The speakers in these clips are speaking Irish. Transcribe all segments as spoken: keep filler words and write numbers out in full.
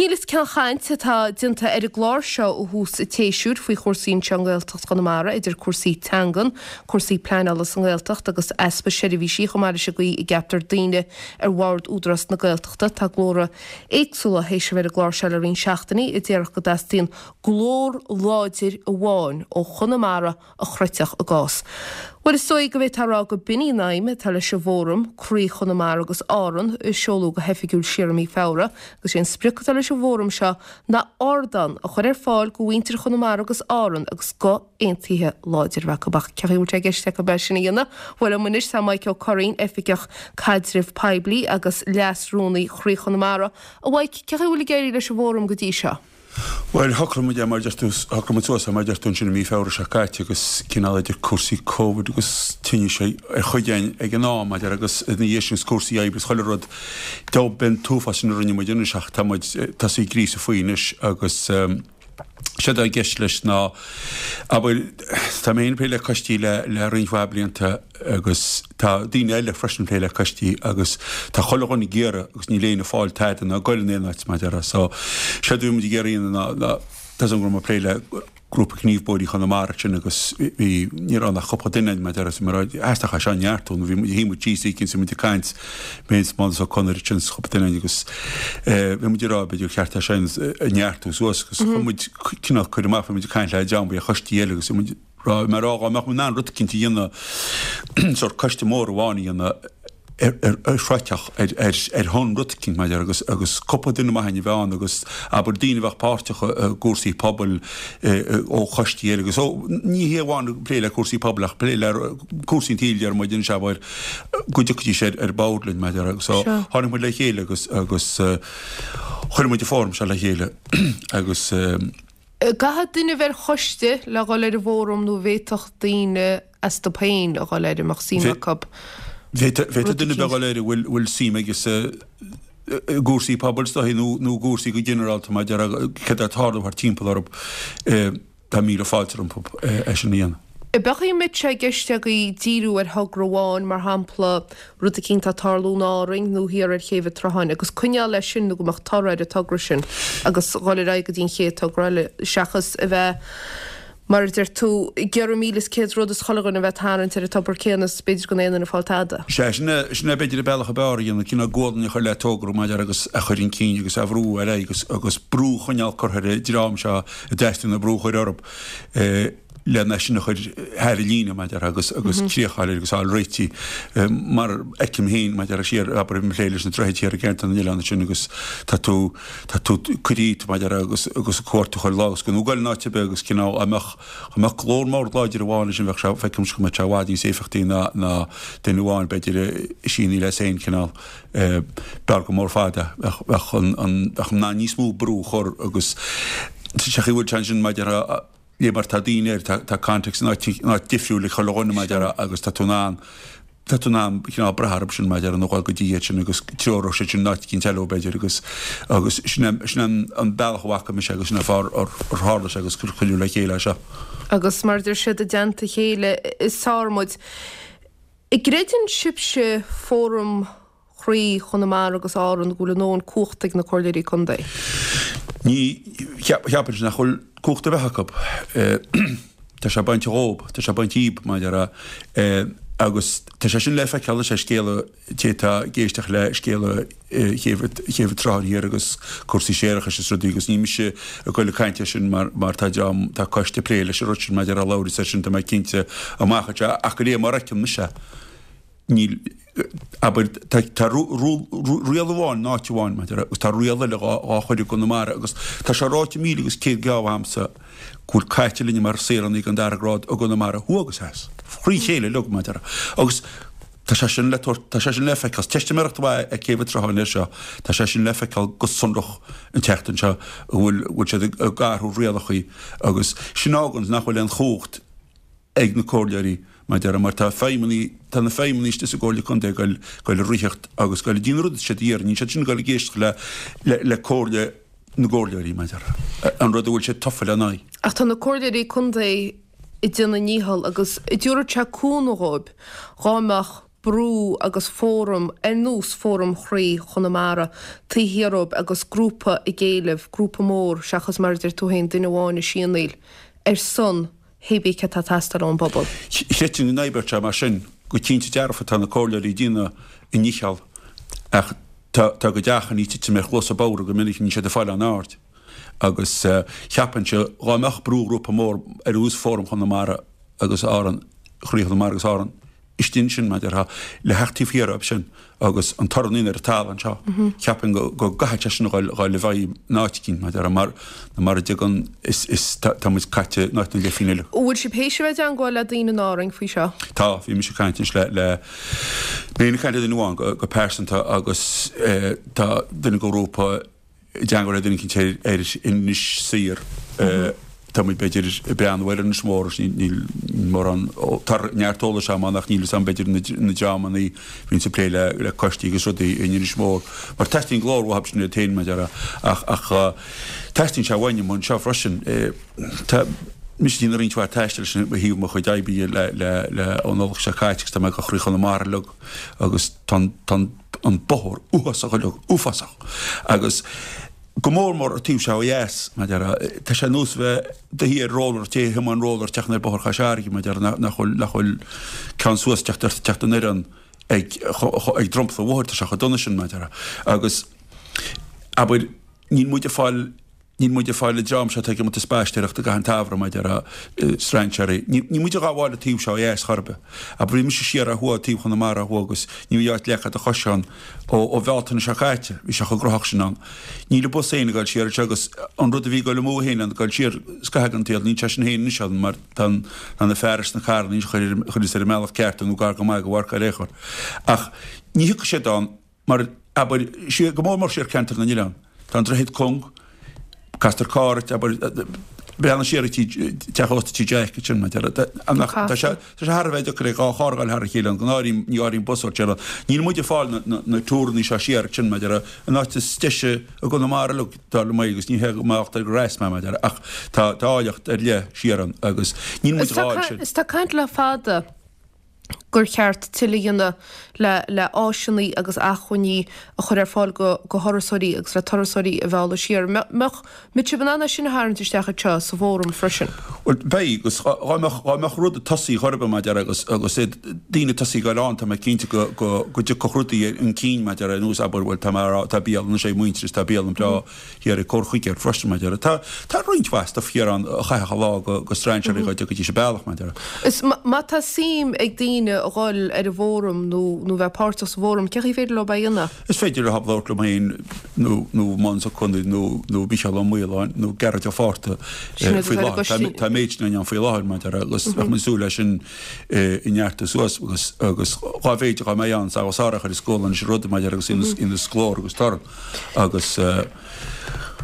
Míle is céad caint atá déanta ar an gclár seo ó thús an tséasúir faoi chúrsaí anseo i nGaeltacht Chonamara, idir cúrsaí teangan, cúrsaí pleanála sa nGaeltacht agus easpa seirbhísí chomh maith leis an gcaoi a gceaptar daoine ar bhord Údarás na Gaeltachta. Tá glórtha éagsúla théis a bheith ar an gclár seo le roinnt seachtainí a déarfadh go dteastaíonn glór láidir amháin ó Chonamara a chreidfeadh a gcás. Bhuel, is dóigh go bhféadfá a rá go b'in í an aidhm atá leis an bhFóram, Croí Chonamara agus Árann, a seoladh go hoifigiúil siar i mí Feabhra, agus sé an sprioc atá leis an bhfóram seo ná ardán a chur ar fáil go mhuintir Chonamara agus Árann agus guth aontaithe láidir a bheith acu. Ach cén chaoi a bhfuil sé i gceist acu é sin a dhéanamh? Bhuel, liom anois tá Mike Ó Curraoin, Oifigeach Caidrimh Poiblí agus Leas-Rúnaí Chroí Chonamara. A Mhaidhc, cén chaoi a bhfuil ag éirí leis an bhfóram go dtí seo? Bhuel, shocraigh muid é mar a deir tú, shocraigh muid suas é mar a deir tú ansin i mí Feabhra seo caite agus cineál idir cúrsaí Covid agus tinnis ar chuid againn ag an am maidir agus ina dhiaidh sin agus cúrsaí oibre is chuile rud, dob in t-uafás sin a rinne muid anois ach tá muid tosaithe ag gríosadh faoi anois agus séard atá i gceist leis ná, abair, tá mé féin ag plé le coistí le le roinnt mhaith blianta agus tá daoine eile freisin ag plé le coistí agus tá chuile dhuine ag iarraidh agus níl éinne ag fáil tada ná ag goil in aon áit mar a déarfá. So séard a bhí muid ag iarraidh a dhéanamh ná ná tá 's agam go raibh mé ag plé le Grúpa Gnímh Bóithre Chonamara ansin agus bhí ní raibh ann ach cúpla duine mar a déarfá so mar theastaigh é seo a neartú nó bhí muid shuigh muid síos oíche is muid ag caint mé is Mánas Ó Conaire ansin is cúpla duine agus bhí muid ag rá b'fhéidir gur cheart é sin a neartú suas agus chuir muid cineál cur amach bhí muid ag caint le dream ar choistí eile agus bhí muid rá mar rá dá mbeadh muid in ann rud eicínt a dhéanamh sórt coiste mór amháin a dhéanamh ar ar throidfeadh ar ar ar shon rud eicínt mar a déarfá agus agus cúpla duine maith againn a bheith ann agus abair daoine a bheadh páirteach i gcúrsaí pobail ó choistí eile agus ó ní hé amháin plé le cúrsaí pobail ach plé le cúrsaí an tsaoil deir muid anois abair go dtiocfaidís ar ar bord linn mar a déarfá agus so tháinig muid le chéile agus agus chuir muid an fóram seo le chéile agus Caithfidh duine a bheith ar choiste le dhul ar an bhfóram nó bhféadfadh daoine astu féin a dhul air a mbeadh suim acu Bhféadfadh duine a bheith dhul air a bhfuil suim aige sa i gcúrsaí pobail is dóichí nó nó i gcúrsaí go ginearálta mar a déarfá céard atá ag tarlú thart timpeall orthu. Tá míle fáilte rompu é sin a dhéanamh. B'fhéidir an mbeadh sé i gceist agaibh díriú ar thogra amháin, mar shampla, rud eicínt atá ag tarlú in Árainn nó thiar ar Chéibh an tSrutháin, agus coinneáil leis sin nó go mbeadh toradh ar an togra sin agus dhul ar aghaidh go dtí an chéad togra eile, seachas a bheith, mar a deir tú, ag iarraidh míle is céad rud is chuile dhuine a bheith ag tarraingt ar an tobar céanna is b'fhéidir gan aon duine ag fáil tada. Sea, sin é, sin é b'fhéidir an bealach ab fhearr a dhéanamh, cineál gualainn a chur le togra, mar a déarfá, agus a chur chun cinn agus a bhrú ar aghaidh agus, agus brú a choinneáil curtha ar an dream seo a dteastaíonn an brú a chur orthu lena sin a chur thar an líne, mar a déarfá, agus, agus críoch a fháil air agus a fháil réitithe. Mar a fheicim féin, mar a déarfá, siar, abair, ag plé leis na droichid thiar i gceantar na n-oileán ansin agus tá tú, Tá tú curtha díot mar a déarfá agus agus cuartú chuile lá agus go nó goil in áit ar bith agus cineál dá mbeadh dá mbeadh glór mór láidir amháin ansin bheadh sé feicimse go mbeadh sé i bhfad níos éifeachtaí ná ná duine amháin b'fhéidir ag síneadh leis féin cineál b'fhearr go mór fada bheadh bheadh an an bheadh in ann níos mó brú a chur agus sa chaoi a bhfuil sé ansin mar a déarfá le mar tá daoine air tá tá contacts in áit in áit difriúil ag chuile dhuine mar a déarfá agus tá tú in ann tá tú in ann cineál brath orthu sin mar a déarfá nó dhul go dtí iad sin agus treoróidh siad sin in áit eicínt eile b'fhéidir agus agus sin é sin é an bealach a bhfaca mise agus sin é an fáth ar ar tharla sé agus gur cuireadh le chéile é seo. Agus mar a deir siad i dteannta a chéile is fearr muid. An gcreideann sibhse, Fóram Chroí Chonamara agus Árann, go bhfuil a ndóthain cumhachta ag na Comhairleoirí Contae? Ní cheapaimse nach bhfuil cumhacht ar bith acu. Tá sé bainte dhób, tá sé bainte dhíob, mar a déarfá. Agus tá sé sin le feiceáil anois ar scéala, té atá ag éisteacht le scéala Chéibh an tSrutháin Thiar agus cúrsaí séarachais is rudaí agus ní mise ag goil ag caint air sin mar mar tá dream, tá coiste ag plé leis an rud sin mar a déarfá a labhras air sin tá mé cinnte amach anseo ach de réir mar a fheiceann mise níl, abair, tá tá riail amháin in áit amháin mar a déarfá agus tá riail eile dhá dhá chur i gConamara agus tá sé ráite míle agus céad geábh agamsa go bhfuil caite linne mar saoránaigh den dara grád i gConamara thuaidh agus theas, thrí chéile uilig mar a déarfá agus tá sé sin le tabhairt, tá sé sin le feiceáil, teistiméireacht mhaith é Céibh an tSrutháin air seo, tá sé sin le feiceáil go sonrach an tseachtain seo go bhfuil go bhfuil siad ag athrú rialachaí agus sin a fháganns nach bhfuil aon chumhacht ag na comhairleoirí, mar a déarfá, mar tá feidhmeannaigh, tá na feidhmeannaigh istigh sa gComhairle Contae ag goil, goil ag ritheacht agus goil ag déanamh an rud atá siad a iarraidh, níl siad sin ag goil ag éisteacht le, le, le comhairle na gcomhairleoirí, mar a déarfá, an rud a bhfuil siad tofa lena aghaidh. Ach tá na comhairleoirí contae ag déanamh a ndícheall agus an dtabharfadh sé cúnamh dhóibh dhá mbeadh brú agus fóram ar nós Fóram Chroí Chonamara taobh thiar dhóibh agus grúpa ag éileamh, grúpa mór seachas mar a deir tú féin duine amháin ag sianaíl ar son hé bith cad tá ag teastáil ón bpobal. Chreidfinn go n-oibreodh sé mar sin, go cinnte dearfa tá na comhairleoirí ag déanamh a ndícheall ach tá a gcuid achainí ag titim ar chluasa bodhar go minic, níl siad ag fáil aon aird. Agus cheapfainnse dhá mbeadh brúghrúpa mór ar nós Fóram Chonamara agus Árann, Chroí Chonamara agus Árann, istigh ansin, mar a déarfá, le theacht taobh thiar dhóibh sin agus an torann a dhéanamh ar an talamh anseo. Cheapfainn go go gcaithfidh sé sin a dhul dhul i bhfeidhm in áit eicínt, mar a déarfá, mar mura dtigeann is is tá tá muid caite in áit na leithphingin eile. An bhfuil sibh théis a bheith i dteangmháil le daoine in Árainn faoi seo? Tá, bhí mise ag caint anois le le mé ag caint le duine amháin go go pearsanta agus eh tá duine den ghrúpa i dteangmháil le duine eicínt ar Inis Oírr. Tá muid b'fhéidir ag breathnú ar Inis Mór agus níl mórán, tá neart eolais agam ann ach níl fhios agam b'fhéidir na dreamanna a bhíonns ag plé le coistí agus rudaí in Inis Mór mar teastaíonn glór uathu sin iad féin mar a déarfá ach ach teastaíonn sé uainn amuigh anseo freisin. Tá mise ag déanamh roinnt mhaith taistil leis ó thaobh mo chuid oibre le le le ón Nollaig seo caite agus tá mé ag dul Chroí Chonamara uilig agus tá tá an bóthar uafásach uilig, uafásach agus go mór mór an taobh seo ó dheas, mar a déarfá, tá sé ar nós bheith i do shuí ar roller, té a thiomáin roller teacht ar bóthar Chois Fharraige, mar a déarfá, nach bhfuil, nach bhfuil ceann suas teacht ort, teacht anoir ann ag, ag dromchla an bhóthair, tá sé chomh dona sin, mar a déarfá. Agus, abair, níl muid ag fáil Níl muid ag fáil an dream seo atá ag imeacht ag spaisteoireacht i gcaitheamh an tsamhraidh, mar a déarfá, strainséirí. Níl muid ag gabháil an taobh seo ó dheas chor ar bith. Abair, bhí mise siar ó thuaidh, taobh Chonamara ó thuaidh agus ní raibh áit a leagfá do chois ann ó ó Bhealtaine seo caite. Bhí sé chomh gnóthach sin ann. Níl an bus féin ag dul siar anseo agus an rud a bhí ag dul amú féin ann, ag dul siar scaitheamh den tsaol, níl sé sin féin anois ann mar tá tá na fearais sna carranna anois a chuireas ar an mbealach ceart nó gar go maith go bhfágfar ar aon chor. Ach ní thiocfaidh siad ann mar, abair, siar, go mór mór siar ceantar na n-oileán. Tá an droichead cúng, castar carr ort, abair, breathnaigh siar ag tí, teach ósta Tí Jack ansin, mar a déarfá. Tá sé, tá sé thar a bheith deacair ag dhá charr a ghabháil thar a chéile ann, go n-áirím, ní áirím bus ort siar ann. Níl muid ag fáil na, na, na túrannaí seo siar ansin, mar a déarfá, an áit is deise i gConamara uilig, dar liom é, agus ní hé go mbeadh ar go raibh mé, mar a déarfá, ach tá, tá áilleacht ar leith siar ann agus níl muid Is ag tá, fáil sin. is tá caint le fada. gur cheart tuilleadh a dhéanamh le le áiseanna agus acmhainní a chur ar fáil go go thurasóirí agus le turasóirí a mhealladh siar. Mbeadh mbeadh sibh in ann é sin a tharraingt isteach anseo sa bhfóram freisin? Bhuel, beidh, agus dhá mbeadh dhá mbeadh rud ag tosaí chor ar bith, mar a déarfá, agus agus iad daoine ag tosaí ag goil ann, tá mé cinnte go go go dtiocfadh rudaí chun cinn, mar a déarfá, ar nós, abair, bhuel, tá mé a rá, tá bialann anois ag Muintearas, tá bialann breá thiar ag Corr Chuigéir freisin, mar a déarfá. Tá tá roinnt mhaith stuif thiar ann a chaithfeadh a lá go go strainséirí dhá dtiocfaidís an bealach, mar a déarfá. Is má tá suim ag daoine a dhul ar an bhfóram nó nó bheith páirteach sa bhfóram, cén chaoi féidir leo é a dhéanamh? Is féidir leo labhairt liom féin nó nó Mánas Ó Conaill nó nó Mícheál Ó Maoláin nó Gearóid Ó Fátharta faoi láthair. Tá an méid sin ann faoi láthair mar a déarfá agus bheadh muid ag súil leis sin a neartú suas agus agus dhá mhéid dhá mbeidh ann agus sár a chur i scóil anois rud mar a déarfá agus ina glór agus torann agus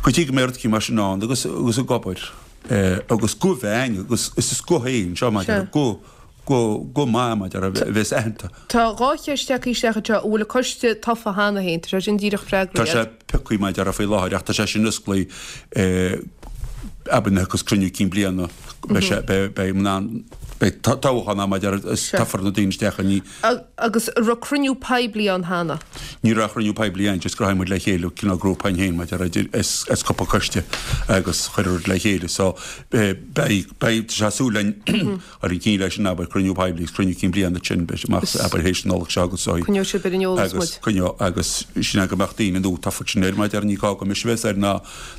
go dtí go mbeidh rud eicínt mar sin ann agus agus ag obair agus guth bheinn agus is guth é anseo mar a déarfá guth go go maith mar a déarfá a bheas aitheanta. Tá dhá cheist tagtha isteach anseo, an bhfuil an coiste tofa cheana féin? Tá sé sin díreach freagraithe Tá sé agat. pioctha mar a déarfá faoi láthair ach tá sé sin osclaithe abair nuair a thiocfas cruinniú cinn bliana beidh sé beidh beidh in ann beidh toghchán ann mar a déarfá is Sea. toghfar na daoine isteach ní Agus an raibh cruinniú poiblí ann cheana? Ní raibh cruinniú poiblí ann just ghnóthaigh muid le chéile cineál grúpa againn féin mar a déarfá as as cúpla coiste agus chuir rud le chéile so beidh beidh tá sé súil linn Ar an gcinn leis sin, abair, cruinniú poiblí agus cruinniú cinn bliana ansin, beidh sé amach, abair, théis na Nollag seo agus so. Coinneoidh sibh ar an eolas Agus muid. coinneoidh, agus sin é go mbeadh daoine nó tá sin ar, mar a déarfá, ní gá go mise a bheith air ná,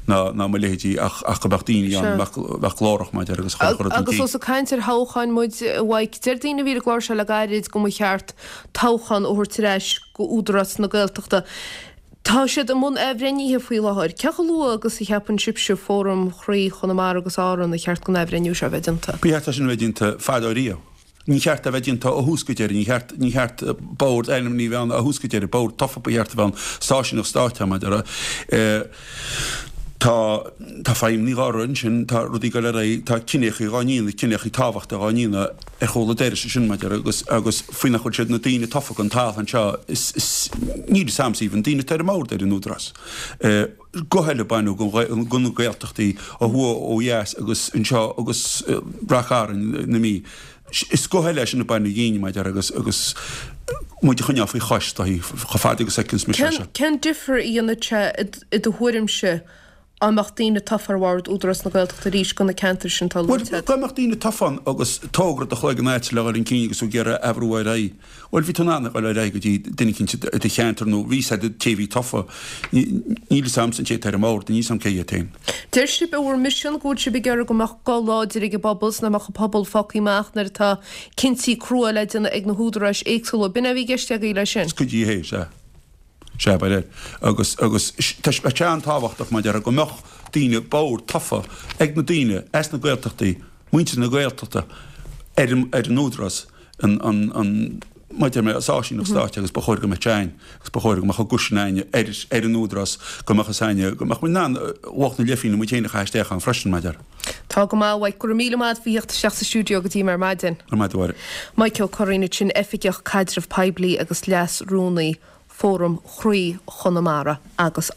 ná, ná mo leithéidí ach, ach go mbeadh daoine ann, Sea. a mbeadh, a bheadh glórach, mar a déarfá, agus a chuirfeadh rud chun Agus cinn. ós ag caint ar thoghcháin muid, a Mhaidhc, deir daoine a bhí ar an gclár seo le gairid go mba cheart toghchán a thabhairt ar ais go Údarás na Gaeltachta. Tá siad i mbun athbhreithnithe faoi láthair. Cé chomh luath agus a cheapann sibhse, Fóram Chroí Chonamara agus Árann, ar cheart don athbhreithniú seo a bheith déanta? Ba cheart é sin a bheith déanta fadó riamh. Ní cheart é a bheith déanta ó thús go deireadh. Ní cheart, ní cheart bord ainmnithe a bheith ann ó thús go deireadh. Bord tofa ba cheart a bheith ann, stáisiúnach stáit, mar a déarfá. Tá, tá feidhmeannaigh dhá rith ansin, tá rudaí ag dul ar aghaidh, tá cinneachaí dhá ndéanamh, cinneachaí tábhachtacha dhá ndéanamh ar chúl an dorais ansin, mar a déarfá, agus, agus faoi nach bhfuil siad na daoine tofa don talamh anseo, is, is, níl fhios a'msa even daoine atá ar an mbord ar an Údarás. Guth eile a baineadh den, de na Gaeltachtaí ó thuaidh, ó dheas agus anseo agus Ráth Chairn na Mí. Is guth eile é sin a baineadh dhínn, mar a déarfá, agus, agus muid a choinneáil faoi chois chomh fada agus a fheiceanns mise é seo. Cén difear a dhéanfadh sé i do thuairimse dá mbeadh daoine tofa ar bhord Údarás na Gaeltachta arís do na ceantair sin atá luaite agat? Bhuel, dá mbeadh daoine tofa ann agus togra i do chloigeann agat le dhul chun cinn agus tú ag iarraidh a bhrú ar aghaidh, bhuel, bhí tú in ann a dhul ar aghaidh go dtí duine eicínt i do cheantar nó bhí 'fhios a'd an té a bhí tofa. Níl 'fhios a'msa an té atá ar an mbord, níl 'fhios a'm cé hiad féin. Deir sibh i bhur misean go bhfuil sibh ag iarraidh go mbeadh guth láidir ag an bpobal 's nach mbeadh an pobal fágtha amach nuair atá cinntí crua le déanamh ag na húdaráis éagsúla. B'in é a bhí i gceist agaibh leis sin? Is cuid de é, sea. Sea, ba é. Agus, agus tá sé an-tábhachtach, mar a déarfá, go mbeadh daoine, bord tofa ag na daoine as na Gaeltachtaí, muintir na Gaeltachta, ar an, ar an Údarás, an, an, an, mar a deir mé, is áisíneacht stáit agus ba chóir go mbeadh sé a'ainn agus ba chóir go mbeadh an guth sin a'ainne ar, ar an Údarás, go mbeadh fhios a'ainne, go mbeadh muid in ann lucht na leithphingne muid féin a chaitheamh isteach ann freisin, mar a déarfá. Tá go maith, a Mhaidhc. Go raibh míle maith agat faoi theacht isteach sa stiúideo go dtí mé ar maidin. Go raibh maith agat, a Mháire. Maidhc Ó Curraoin ansin, Oifigeach Caidreamh Poiblí agus Leas-Rúnaí Fóram Chroí Chonamara agus.